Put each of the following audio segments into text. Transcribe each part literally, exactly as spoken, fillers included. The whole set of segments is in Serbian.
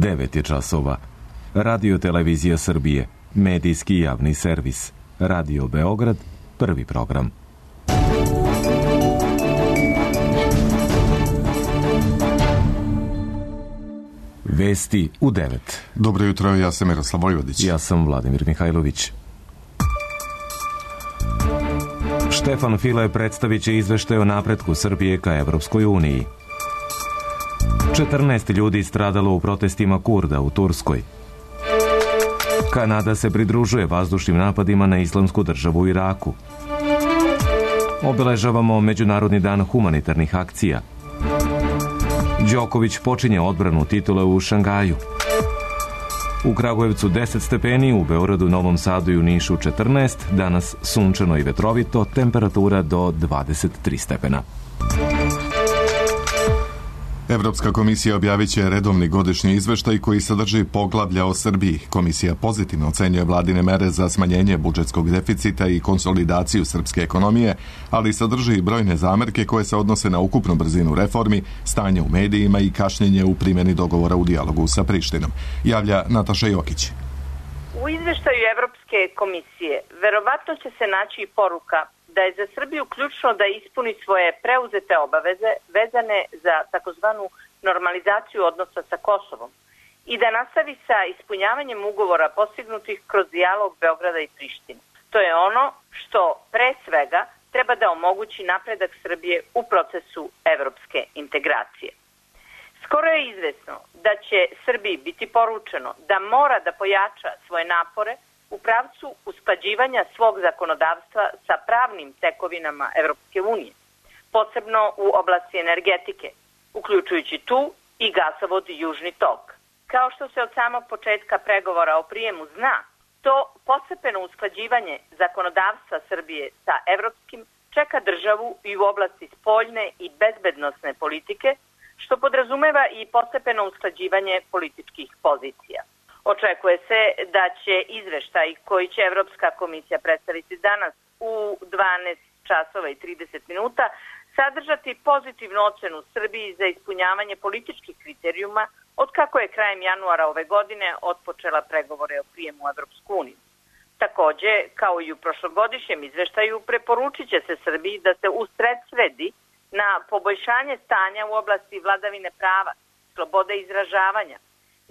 devet je časova. Radio Televizija Srbije, medijski javni servis. Radio Beograd, prvi program. Vesti u devet. Dobro jutro, ja sam Miroslav Vojvodić. Ja sam Vladimir Mihajlović. Štefan File predstavit će izveštaj o napretku Srbije ka Evropskoj uniji. četrnaest ljudi stradalo u protestima Kurda u Turskoj. Kanada se pridružuje vazdušnim napadima na Islamsku državu u Iraku. Obeležavamo Međunarodni dan humanitarnih akcija. Đoković počinje odbranu titule u Šangaju. U Kragujevcu deset stepeni, u Beogradu, Novom Sadu i u Nišu četrnaest, danas sunčano i vetrovito, temperatura do dvadeset tri stepena. Evropska komisija objavit će redovni godišnji izveštaj koji sadrži poglavlja o Srbiji. Komisija pozitivno ocenjuje vladine mere za smanjenje budžetskog deficita i konsolidaciju srpske ekonomije, ali sadrži i brojne zamerke koje se odnose na ukupnu brzinu reformi, stanje u medijima i kašnjenje u primjeni dogovora u dijalogu sa Prištinom. Javlja Nataša Jokić. U izveštaju Evropske komisije verovatno će se naći i poruka da je za Srbiju ključno da ispuni svoje preuzete obaveze vezane za takozvanu normalizaciju odnosa sa Kosovom i da nastavi sa ispunjavanjem ugovora postignutih kroz dijalog Beograda i Prištine. To je ono što pre svega treba da omogući napredak Srbije u procesu evropske integracije. Skoro je izvesno da će Srbiji biti poručeno da mora da pojača svoje napore u pravcu usklađivanja svog zakonodavstva sa pravnim tekovinama Evropske unije, posebno u oblasti energetike, uključujući tu i gasovod Južni tok. Kao što se od samog početka pregovora o prijemu zna, to postepeno usklađivanje zakonodavstva Srbije sa evropskim čeka državu i u oblasti spoljne i bezbednosne politike, što podrazumeva i postepeno usklađivanje političkih pozicija. Očekuje se da će izveštaj koji će Evropska komisija predstaviti danas u dvanaest časova i trideset minuta sadržati pozitivnu ocenu Srbiji za ispunjavanje političkih kriterijuma od kako je krajem januara ove godine otpočela pregovore o prijemu u Evropsku uniju. Takođe, kao i u prošlogodišnjem izveštaju, preporučit će se Srbiji da se usredsredi na poboljšanje stanja u oblasti vladavine prava, slobode izražavanja,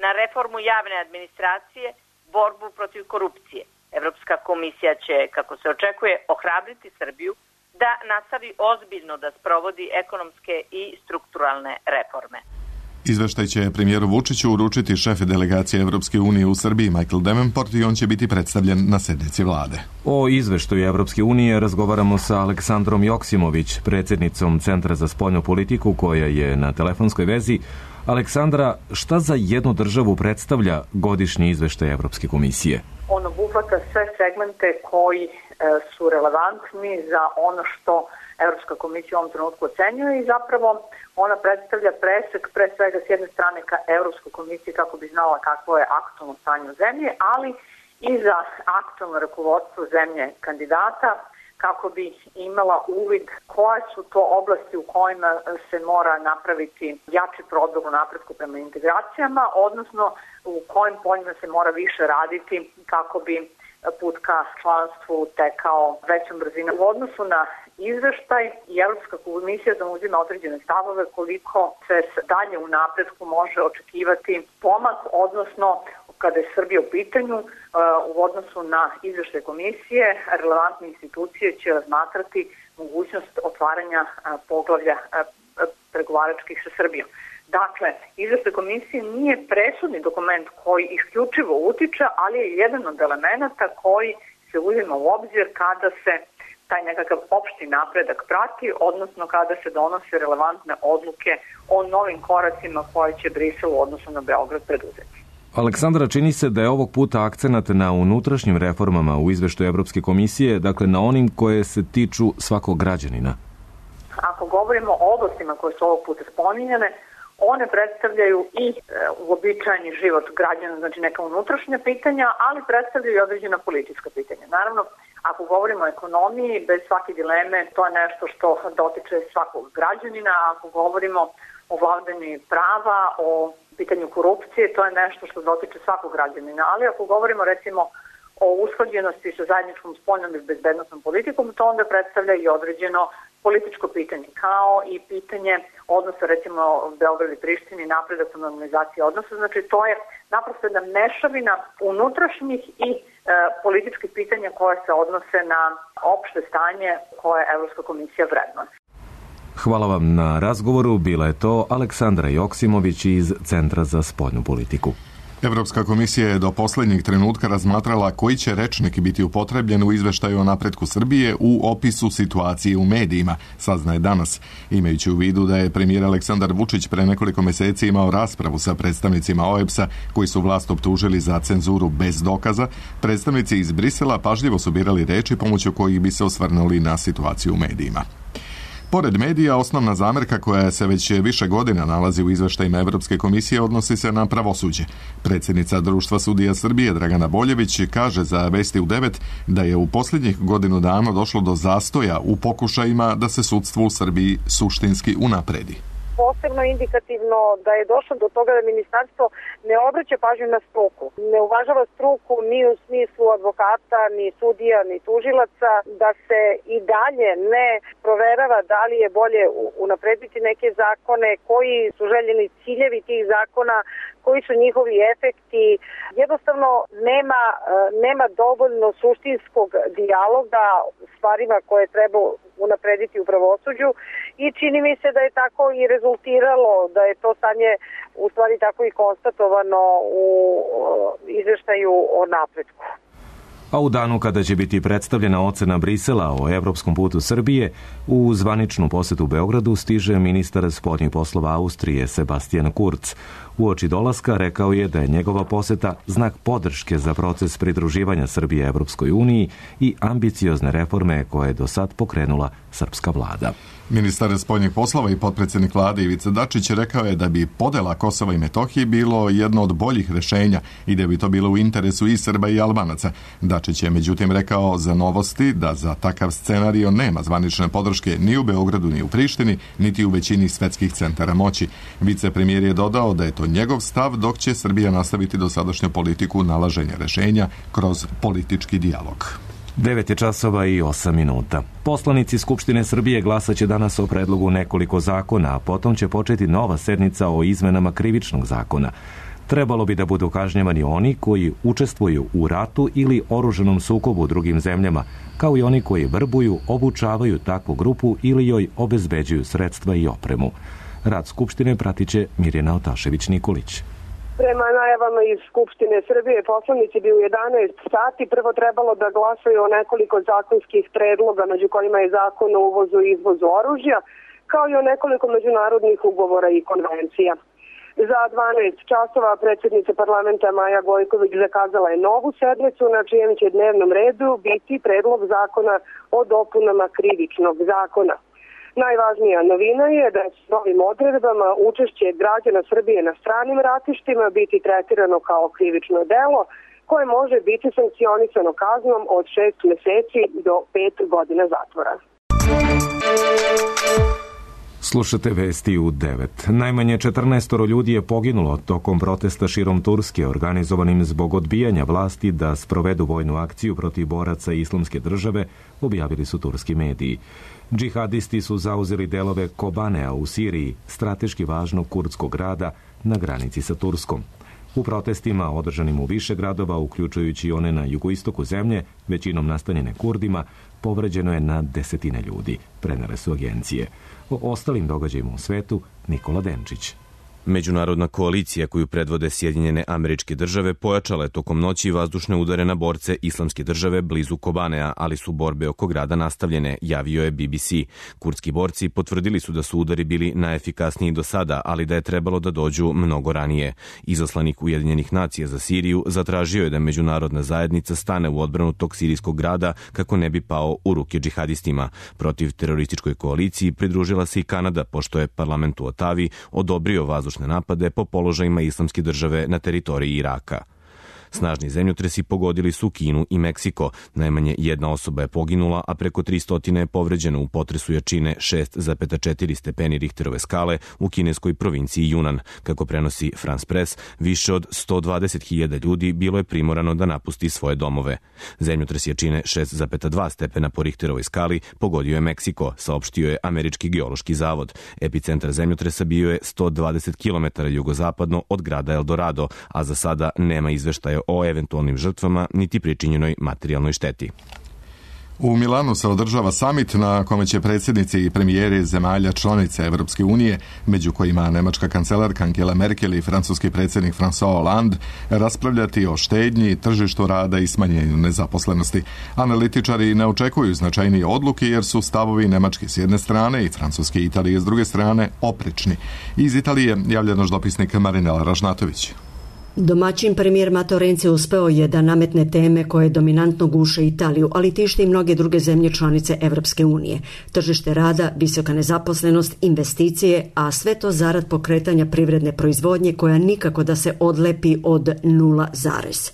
na reformu javne administracije, borbu protiv korupcije. Evropska komisija će, kako se očekuje, ohrabriti Srbiju da nastavi ozbiljno da sprovodi ekonomske i strukturalne reforme. Izveštaj će premijeru Vučiću uručiti šef delegacije Evropske unije u Srbiji Michael Davenport i on će biti predstavljen na sednici vlade. O izveštaju Evropske unije razgovaramo sa Aleksandrom Joksimović, predsjednicom Centra za spoljnu politiku, koja je na telefonskoj vezi. Aleksandra, šta za jednu državu predstavlja godišnji izveštaj Evropske komisije? On obuhvata sve segmente koji e, su relevantni za ono što Evropska komisija u ovom trenutku ocenjuje i zapravo ona predstavlja presek pre svega s jedne strane ka Evropskoj komisiji kako bi znala kakvo je aktualno stanje u zemlji, ali i za aktualno rukovodstvo zemlje kandidata kako bi imala uvid koje su to oblasti u kojima se mora napraviti jači prodor u napretku prema integracijama, odnosno u kojim poljima se mora više raditi kako bi put ka članstvu tekao većom brzinom. U odnosu na izveštaj i Evropska komisija zauzima određene stavove koliko se dalje u napretku može očekivati pomak, odnosno kada je Srbija u pitanju, u odnosu na izveštaj komisije, relevantne institucije će razmatrati mogućnost otvaranja poglavlja pregovaračkih sa Srbijom. Dakle, izveštaj komisije nije presudni dokument koji isključivo utiče, ali je jedan od elemenata koji se uzima u obzir kada se taj nekakav opšti napredak prati, odnosno kada se donose relevantne odluke o novim koracima koje će Brisel u odnosu na Beograd preduzeti. Aleksandra, čini se da je ovog puta akcenat na unutrašnjim reformama u izveštaju Evropske komisije, dakle na onim koje se tiču svakog građanina. Ako govorimo o oblastima koje su ovog puta spominjane, one predstavljaju i e, uobičajeni život građana, znači neka unutrašnja pitanja, ali predstavljaju i određena politička pitanja. Naravno, ako govorimo o ekonomiji, bez svake dileme, to je nešto što dotiče svakog građanina. Ako govorimo o vladavini prava, o pitanju korupcije, to je nešto što dotiče svakog građanina. Ali ako govorimo recimo o usklađenosti sa zajedničkom spoljnom i bezbednosnom politikom, to onda predstavlja i određeno političko pitanje, kao i pitanje odnosa recimo Beograd i Prištini, napredak u normalizaciji odnosa. Znači to je naprosto jedna mešavina unutrašnjih i e, političkih pitanja koje se odnose na opšte stanje koje Evropska komisija vrednuje. Hvala vam na razgovoru. Bila je to Aleksandra Joksimović iz Centra za spoljnu politiku. Evropska komisija je do poslednjeg trenutka razmatrala koji će rečnik biti upotrebljen u izveštaju o napretku Srbije u opisu situacije u medijima, saznaje danas. Imajući u vidu da je premijer Aleksandar Vučić pre nekoliko meseci imao raspravu sa predstavnicima O E B S-a koji su vlast optužili za cenzuru bez dokaza, predstavnici iz Brisela pažljivo su birali reči pomoću kojih bi se osvrnuli na situaciju u medijima. Pored medija, osnovna zamerka koja se već više godina nalazi u izveštajima Evropske komisije odnosi se na pravosuđe. Predsjednica Društva sudija Srbije Dragana Boljević kaže za Vesti u devet da je u posljednjih godinu dana došlo do zastoja u pokušajima da se sudstvo u Srbiji suštinski unapredi. Posebno indikativno da je došlo do toga da ministarstvo ne obraća pažnju na struku. Ne uvažava struku ni u smislu advokata, ni sudija, ni tužilaca, da se i dalje ne proverava da li je bolje unaprediti neke zakone, koji su željeni ciljevi tih zakona, koji su njihovi efekti. Jednostavno nema, nema dovoljno suštinskog dijaloga stvarima koje treba unaprediti u pravosuđu i čini mi se da je tako i rezultiralo, da je to stanje u stvari tako i konstatovano u izveštaju o napretku. A u danu kada će biti predstavljena ocena Brisela o evropskom putu Srbije, u zvaničnu posetu Beogradu stiže ministar spoljnih poslova Austrije Sebastian Kurz. Uoči dolaska rekao je da je njegova poseta znak podrške za proces pridruživanja Srbije Evropskoj uniji i ambiciozne reforme koje je do sad pokrenula srpska vlada. Ministar spoljnih poslova i potpredsjednik vlade Ivica Dačić rekao je da bi podela Kosova i Metohije bilo jedno od boljih rešenja i da bi to bilo u interesu i Srba i Albanaca. Dačić je međutim rekao za Novosti da za takav scenario nema zvanične podrške ni u Beogradu ni u Prištini, niti u većini svetskih centara moći. Vicepremijer je dodao da je to njegov stav, dok će Srbija nastaviti dosadašnju politiku nalaženja rešenja kroz politički dijalog. devet je časova i osam minuta. Poslanici Skupštine Srbije glasaće danas o predlogu nekoliko zakona, a potom će početi nova sednica o izmenama krivičnog zakona. Trebalo bi da budu kažnjavani oni koji učestvuju u ratu ili oružanom sukobu u drugim zemljama, kao i oni koji vrbuju, obučavaju takvu grupu ili joj obezbeđuju sredstva i opremu. Rad Skupštine pratiće Mirjana Otašević-Nikolić. Prema najavama iz Skupštine Srbije, poslanici bi u jedanaest sati prvo trebalo da glasaju o nekoliko zakonskih predloga, među kojima je zakon o uvozu i izvozu oružja, kao i o nekoliko međunarodnih ugovora i konvencija. Za dvanaest časova predsjednica parlamenta Maja Gojković zakazala je novu sednicu na čijem će dnevnom redu biti predlog zakona o dopunama krivičnog zakona. Najvažnija novina je da s novim odredbama učešće građana Srbije na stranim ratištima biti tretirano kao krivično delo koje može biti sankcionisano kaznom od šest meseci do pet godina zatvora. Slušate Vesti u devet. Najmanje četrnaest ljudi je poginulo tokom protesta širom Turske organizovanim zbog odbijanja vlasti da sprovedu vojnu akciju protiv boraca Islamske države, objavili su turski mediji. Džihadisti su zauzeli delove Kobanea u Siriji, strateški važnog kurdskog grada na granici sa Turskom. U protestima, održanim u više gradova, uključujući i one na jugoistoku zemlje, većinom nastanjene Kurdima, povređeno je na desetine ljudi, prenele su agencije. O ostalim događajima u svetu Nikola Denčić. Međunarodna koalicija koju predvode Sjedinjene Američke Države pojačala je tokom noći vazdušne udare na borce Islamske države blizu Kobanea, ali su borbe oko grada nastavljene, javio je B B C. Kurdski borci potvrdili su da su udari bili najefikasniji do sada, ali da je trebalo da dođu mnogo ranije. Izaslanik Ujedinjenih nacija za Siriju zatražio je da međunarodna zajednica stane u odbranu tog sirijskog grada kako ne bi pao u ruke džihadistima. Protiv terorističkoj koaliciji pridružila se i Kanada, pošto je parlament u Otavi odobrio vazdušne napade po položajima Islamske države na teritoriji Iraka. Snažni zemljotresi pogodili su Kinu i Meksiko. Najmanje jedna osoba je poginula, a preko tristo je povređeno u potresu jačine šest zarez četiri stepeni Richterove skale u kineskoj provinciji Junan. Kako prenosi France Press, više od sto dvadeset hiljada ljudi bilo je primorano da napusti svoje domove. Zemljotres jačine šest zarez dva stepena po Richterovoj skali pogodio je Meksiko, saopštio je Američki geološki zavod. Epicentar zemljotresa bio je sto dvadeset kilometara jugozapadno od grada Eldorado, a za sada nema izveštaja o eventualnim žrtvama niti pričinjenoj materijalnoj šteti. U Milanu se održava samit na kome će predsjednici i premijeri zemalja članice Evropske unije, među kojima nemačka kancelarka Angela Merkel i francuski predsjednik François Hollande, raspravljati o štednji, tržištu rada i smanjenju nezaposlenosti. Analitičari ne očekuju značajnije odluke jer su stavovi Nemački s jedne strane i Francuski i Italije s druge strane oprečni. Iz Italije javlja naš dopisnik Marinela Ražnatović. Domaćin premijer Matteo Renzi uspeo je da nametne teme koje dominantno guše Italiju, ali tište i mnoge druge zemlje članice Evropske unije. Tržište rada, visoka nezaposlenost, investicije, a sve to zarad pokretanja privredne proizvodnje koja nikako da se odlepi od nula zarez.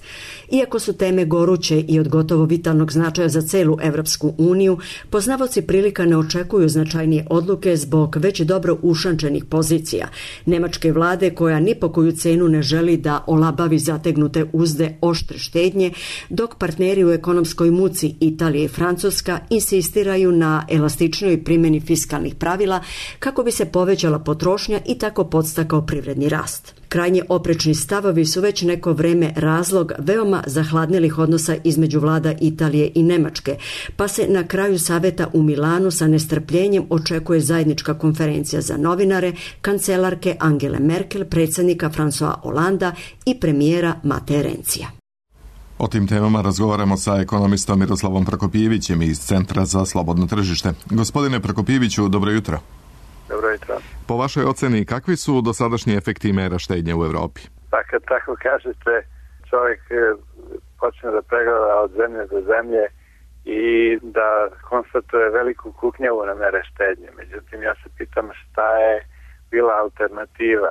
Iako su teme goruće i od gotovo vitalnog značaja za celu Evropsku uniju, poznavaoci prilika ne očekuju značajnije odluke zbog već dobro ušančenih pozicija nemačke vlade koja ni po koju cenu ne želi da olabavi zategnute uzde oštre štednje, dok partneri u ekonomskoj muci Italija i Francuska insistiraju na elastičnoj primjeni fiskalnih pravila kako bi se povećala potrošnja i tako podstakao privredni rast. Krajnje oprečni stavovi su već neko vreme razlog veoma zahladnelih odnosa između vlada Italije i Nemačke, pa se na kraju saveta u Milanu sa nestrpljenjem očekuje zajednička konferencija za novinare, kancelarke Angele Merkel, predsjednika François Hollanda i premijera Matea Renzija. O tim temama razgovaramo sa ekonomistom Miroslavom Prokopijevićem iz Centra za slobodno tržište. Gospodine Prokopijeviću, dobro jutro. Dobro jutro. Po vašoj oceni, kakvi su dosadašnji efekti mera štednje u Evropi? Pa kad tako kažete, čovjek počne da pregleda od zemlje do zemlje i da konstatuje veliku kuknjavu na mere štednje. Međutim, ja se pitam šta je bila alternativa.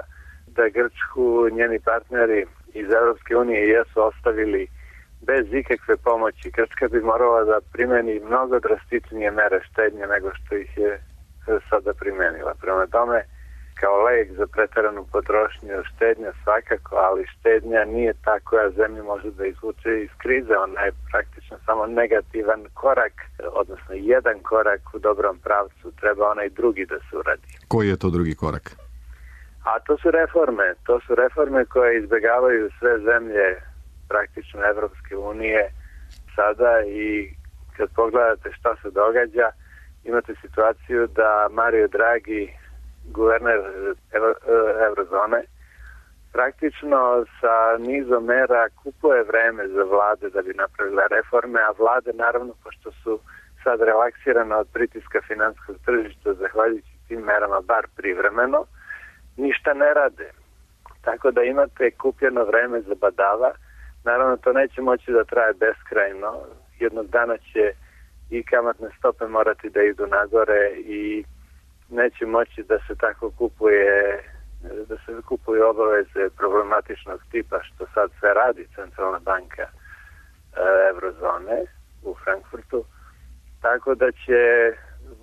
Da Grčku njeni partneri iz Evropske unije jesu ostavili bez ikakve pomoći. Grčka bi morala da primeni mnogo drastičnije mere štednje nego što ih je sada primenila. Prema tome, kao lek za preteranu potrošnju štednja svakako, ali štednja nije ta koja zemlja može da izvuče iz krize. Ona je praktično samo negativan korak, odnosno jedan korak u dobrom pravcu. Treba onaj drugi da se uradi. Koji je to drugi korak? A to su reforme. To su reforme koje izbjegavaju sve zemlje praktično Evropske unije sada i kad pogledate šta se događa, imate situaciju da Mario Draghi, guverner Eurozone, praktično sa nizom mera kupuje vreme za vlade da bi napravile reforme, a vlade naravno, pošto su sad relaksirane od pritiska finanskog tržišta, zahvaljujući tim merama, bar privremeno, ništa ne rade. Tako da imate kupljeno vreme za badava. Naravno, to neće moći da traje beskrajno. Jednog dana će i kamatne stope morati da idu nagore i neće moći da se tako kupuje, da se kupuju obaveze problematičnog tipa, što sad sve radi Centralna banka e, Eurozone u Frankfurtu. Tako da će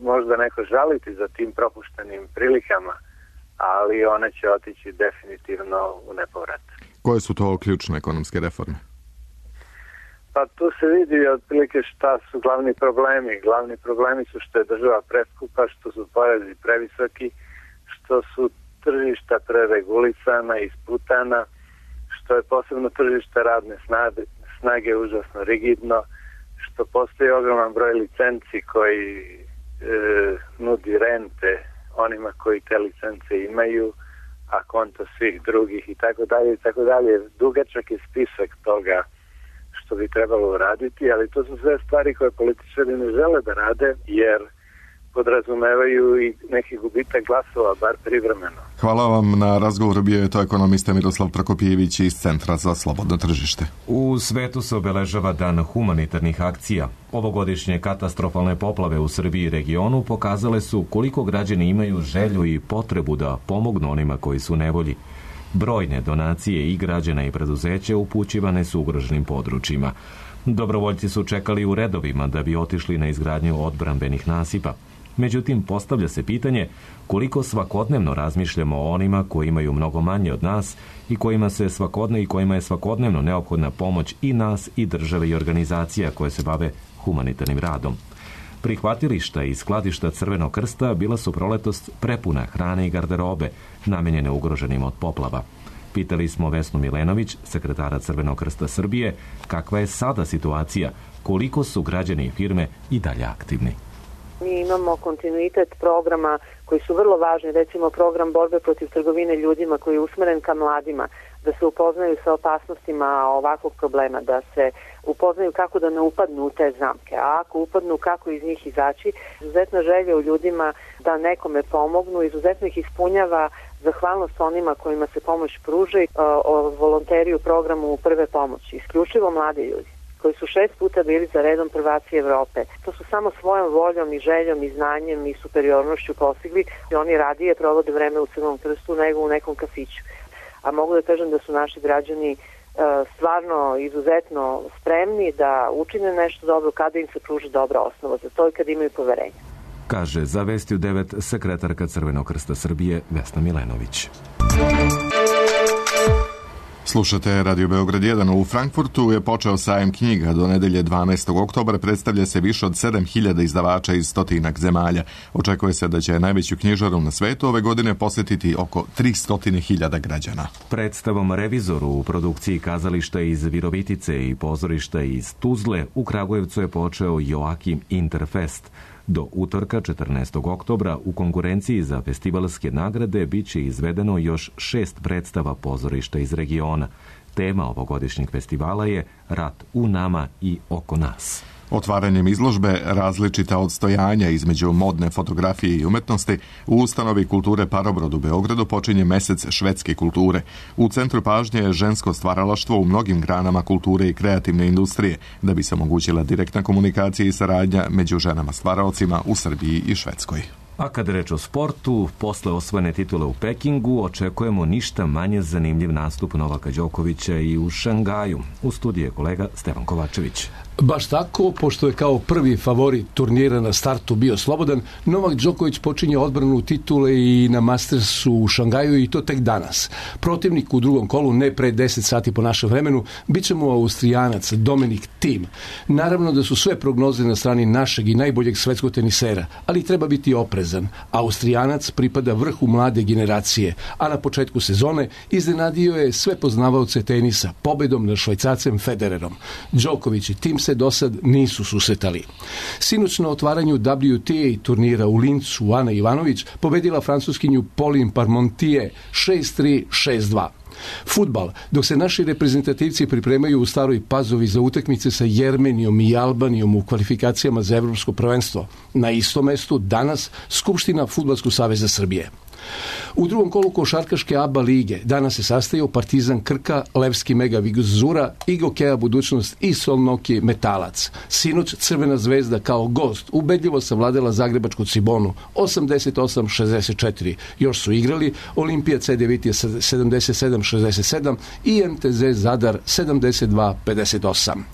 možda neko žaliti za tim propuštenim prilikama, ali one će otići definitivno u nepovrat. Koje su to ključne ekonomske reforme? Pa tu se vidi otprilike šta su glavni problemi. Glavni problemi su što je država preskupa, što su porezi previsoki, što su tržišta preregulisana i isputana, što je posebno tržište radne snage, snage užasno rigidno, što postoji ogroman broj licenci koji e, nudi rente onima koji te licence imaju, a konto svih drugih i tako dalje i tako dalje. Dugačak je spisak toga što bi trebalo uraditi, ali to su sve stvari koje političari ne žele da rade, jer podrazumevaju i neki gubitak glasova, bar privremeno. Hvala vam na razgovoru. Bio je to ekonomista Miroslav Prokopijević iz Centra za slobodno tržište. U svetu se obeležava Dan humanitarnih akcija. Ovogodišnje katastrofalne poplave u Srbiji i regionu pokazale su koliko građani imaju želju i potrebu da pomognu onima koji su u nevolji. Brojne donacije i građana i preduzeća upućivane su ugroženim područjima. Dobrovoljci su čekali u redovima da bi otišli na izgradnju odbrambenih nasipa. Međutim, postavlja se pitanje koliko svakodnevno razmišljamo o onima koji imaju mnogo manje od nas i kojima se svakodne i kojima je svakodnevno neophodna pomoć i nas i države i organizacija koje se bave humanitarnim radom. Prihvatilišta i skladišta Crvenog krsta bila su proletos prepuna hrane i garderobe, namenjene ugroženim od poplava. Pitali smo Vesnu Milenović, sekretara Crvenog krsta Srbije, kakva je sada situacija, koliko su građani i firme i dalje aktivni. Mi imamo kontinuitet programa koji su vrlo važni, recimo program borbe protiv trgovine ljudima koji je usmeren ka mladima, da se upoznaju sa opasnostima ovakvog problema, da se upoznaju kako da ne upadnu u te zamke, a ako upadnu kako iz njih izaći. Izuzetna želja u ljudima da nekome pomognu, izuzetno ih ispunjava zahvalnost onima kojima se pomoć pruža, o volonteri u programu prve pomoći, isključivo mladi ljudi koji su šest puta bili za redom prvaci Evrope. To su samo svojom voljom i željom i znanjem i superiornošću postigli i oni radije provode vreme u Crvenom krstu nego u nekom kafiću. A mogu da kažem da su naši građani e, stvarno izuzetno spremni da učine nešto dobro kada im se pruži dobra osnova za to i kada imaju poverenja. Kaže za Vesti u devet sekretarka Crvenog krsta Srbije Vesna Milenović. Slušate Radio Beograd jedan. U Frankfurtu je počeo sajam knjiga. Do nedelje dvanaestog oktobra predstavlja se više od sedam hiljada izdavača iz stotinak zemalja. Očekuje se da će najveću knjižaru na svetu ove godine posjetiti oko tristo hiljada građana. Predstavom Revizoru u produkciji kazališta iz Virovitice i pozorišta iz Tuzle u Kragujevcu je počeo Joakim Interfest. Do utorka četrnaestog oktobra u konkurenciji za festivalske nagrade bit će izvedeno još šest predstava pozorišta iz regiona. Tema ovogodišnjeg festivala je Rat u nama i oko nas. Otvaranjem izložbe Različita odstojanja između modne fotografije i umetnosti u ustanovi kulture Parobrod u Beogradu počinje mesec švedske kulture. U centru pažnje je žensko stvaralaštvo u mnogim granama kulture i kreativne industrije, da bi se omogućila direktna komunikacija i saradnja među ženama stvaraocima u Srbiji i Švedskoj. A kada reč o sportu, posle osvojene titule u Pekingu, očekujemo ništa manje zanimljiv nastup Novaka Đokovića i u Šangaju. U studiju je kolega Stevan Kovačević. Baš tako, pošto je kao prvi favorit turnira na startu bio slobodan, Novak Đoković počinje odbranu titule i na Mastersu u Šangaju i to tek danas. Protivnik u drugom kolu, ne pre deset sati po našem vremenu, bit će mu Austrijanac Dominik Thiem. Naravno da su sve prognoze na strani našeg i najboljeg svetskog tenisera, ali treba biti oprezan. Austrijanac pripada vrhu mlade generacije, a na početku sezone iznenadio je sve poznavaoce tenisa pobedom nad Švajcarcem Federerom. Đoković i Thiem se do sad nisu susretali. Sinoć na otvaranju W T A turnira u Lincu Ana Ivanović pobedila francuskinju Pauline Parmentier šest tri šest dva. Fudbal. Dok se naši reprezentativci pripremaju u Staroj Pazovi za utakmice sa Jermenijom i Albanijom u kvalifikacijama za evropsko prvenstvo, na istom mestu danas Skupština Fudbalskog saveza Srbije. U drugom kolu košarkaške A B A lige danas se sastaju Partizan Krka, Levski Mega Vigos Zura, Igokeja Budućnost i Solnoki Metalac. Sinoć Crvena zvezda kao gost ubedljivo savladala zagrebačku Cibonu osamdeset osam šezdeset četiri. Još su igrali Olimpija C devet sedamdeset sedam šezdeset sedam i M T Z Zadar sedamdeset dva pedeset osam.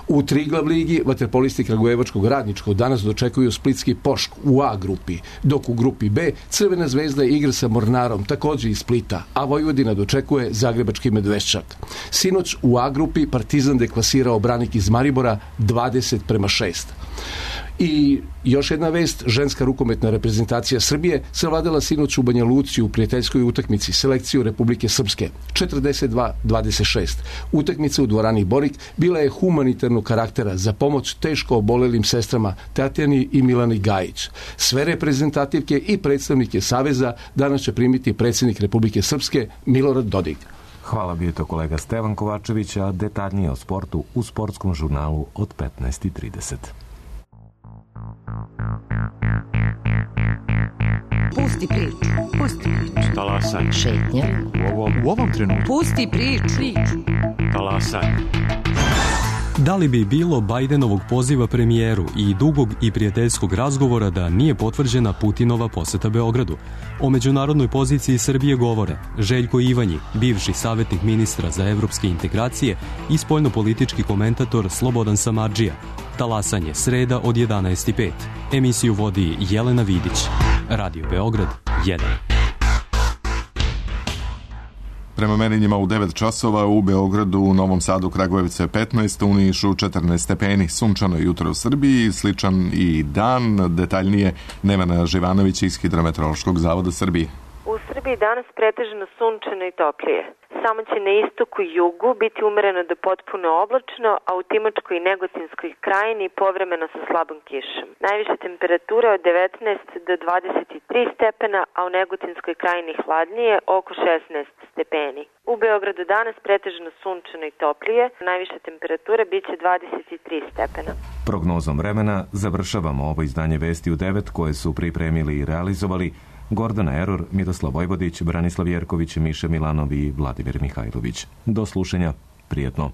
U Triglav ligi vaterpolisti Kragujevačkog Radničkog danas dočekuju Splitski Pošk u A grupi, dok u grupi B Crvena zvezda igra sa Mornarom, također iz Splita, a Vojvodina dočekuje Zagrebački Medveščak. Sinoć u A grupi Partizan deklasirao Branik iz Maribora dvadeset prema šest. I još jedna vest, ženska rukometna reprezentacija Srbije savladala sinoć u Banja Luci u prijateljskoj utakmici selekciju Republike Srpske četrdeset dva dvadeset šest. Utakmica u dvorani Borik bila je humanitarnog karaktera za pomoć teško obolelim sestrama Tatjani i Milani Gajić. Sve reprezentativke i predstavnike Saveza danas će primiti predsjednik Republike Srpske Milorad Dodik. Hvala, bio to kolega Stevan Kovačević, a detaljnije o sportu u sportskom žurnalu od petnaest i trideset. Pusti priču, pusti priču. Talasaj. Šetnja. U ovom, u ovom trenutku. Pusti priču. Talasaj. Da li bi bilo Bajdenovog poziva premijeru i dugog i prijateljskog razgovora da nije potvrđena Putinova poseta Beogradu? O međunarodnoj poziciji Srbije govore Željko Ivanji, bivši savjetnik ministra za evropske integracije i spoljnopolitički komentator Slobodan Samardžija. Talasanje, sreda od jedanaest i pet. Emisiju vodi Jelena Vidić. Radio Beograd jedan. Prema merenjima u devet časova u Beogradu, u Novom Sadu, Kragujevcu je petnaest, u Nišu četrnaest stepeni. Sunčano jutro u Srbiji, sličan i dan. Detaljnije Nevena Živanović iz Hidrometeorološkog zavoda Srbije. U Srbiji danas pretežno sunčano i toplije. Samo će na istoku i jugu biti umereno do potpuno oblačno, a u Timočkoj i Negotinskoj krajini povremeno sa slabom kišom. Najviše temperature od devetnaest do dvadeset tri stepena, a u Negotinskoj krajini hladnije oko šesnaest stepeni. U Beogradu danas pretežno sunčano i toplije, najviša temperatura biće dvadeset tri stepena. Prognozom vremena završavamo ovo izdanje Vesti u devet koje su pripremili i realizovali Gordana Eror, Miroslav Vojvodić, Branislav Jerković, Miša Milanov i Vladimir Mihajlović. Do slušanja, prijetno.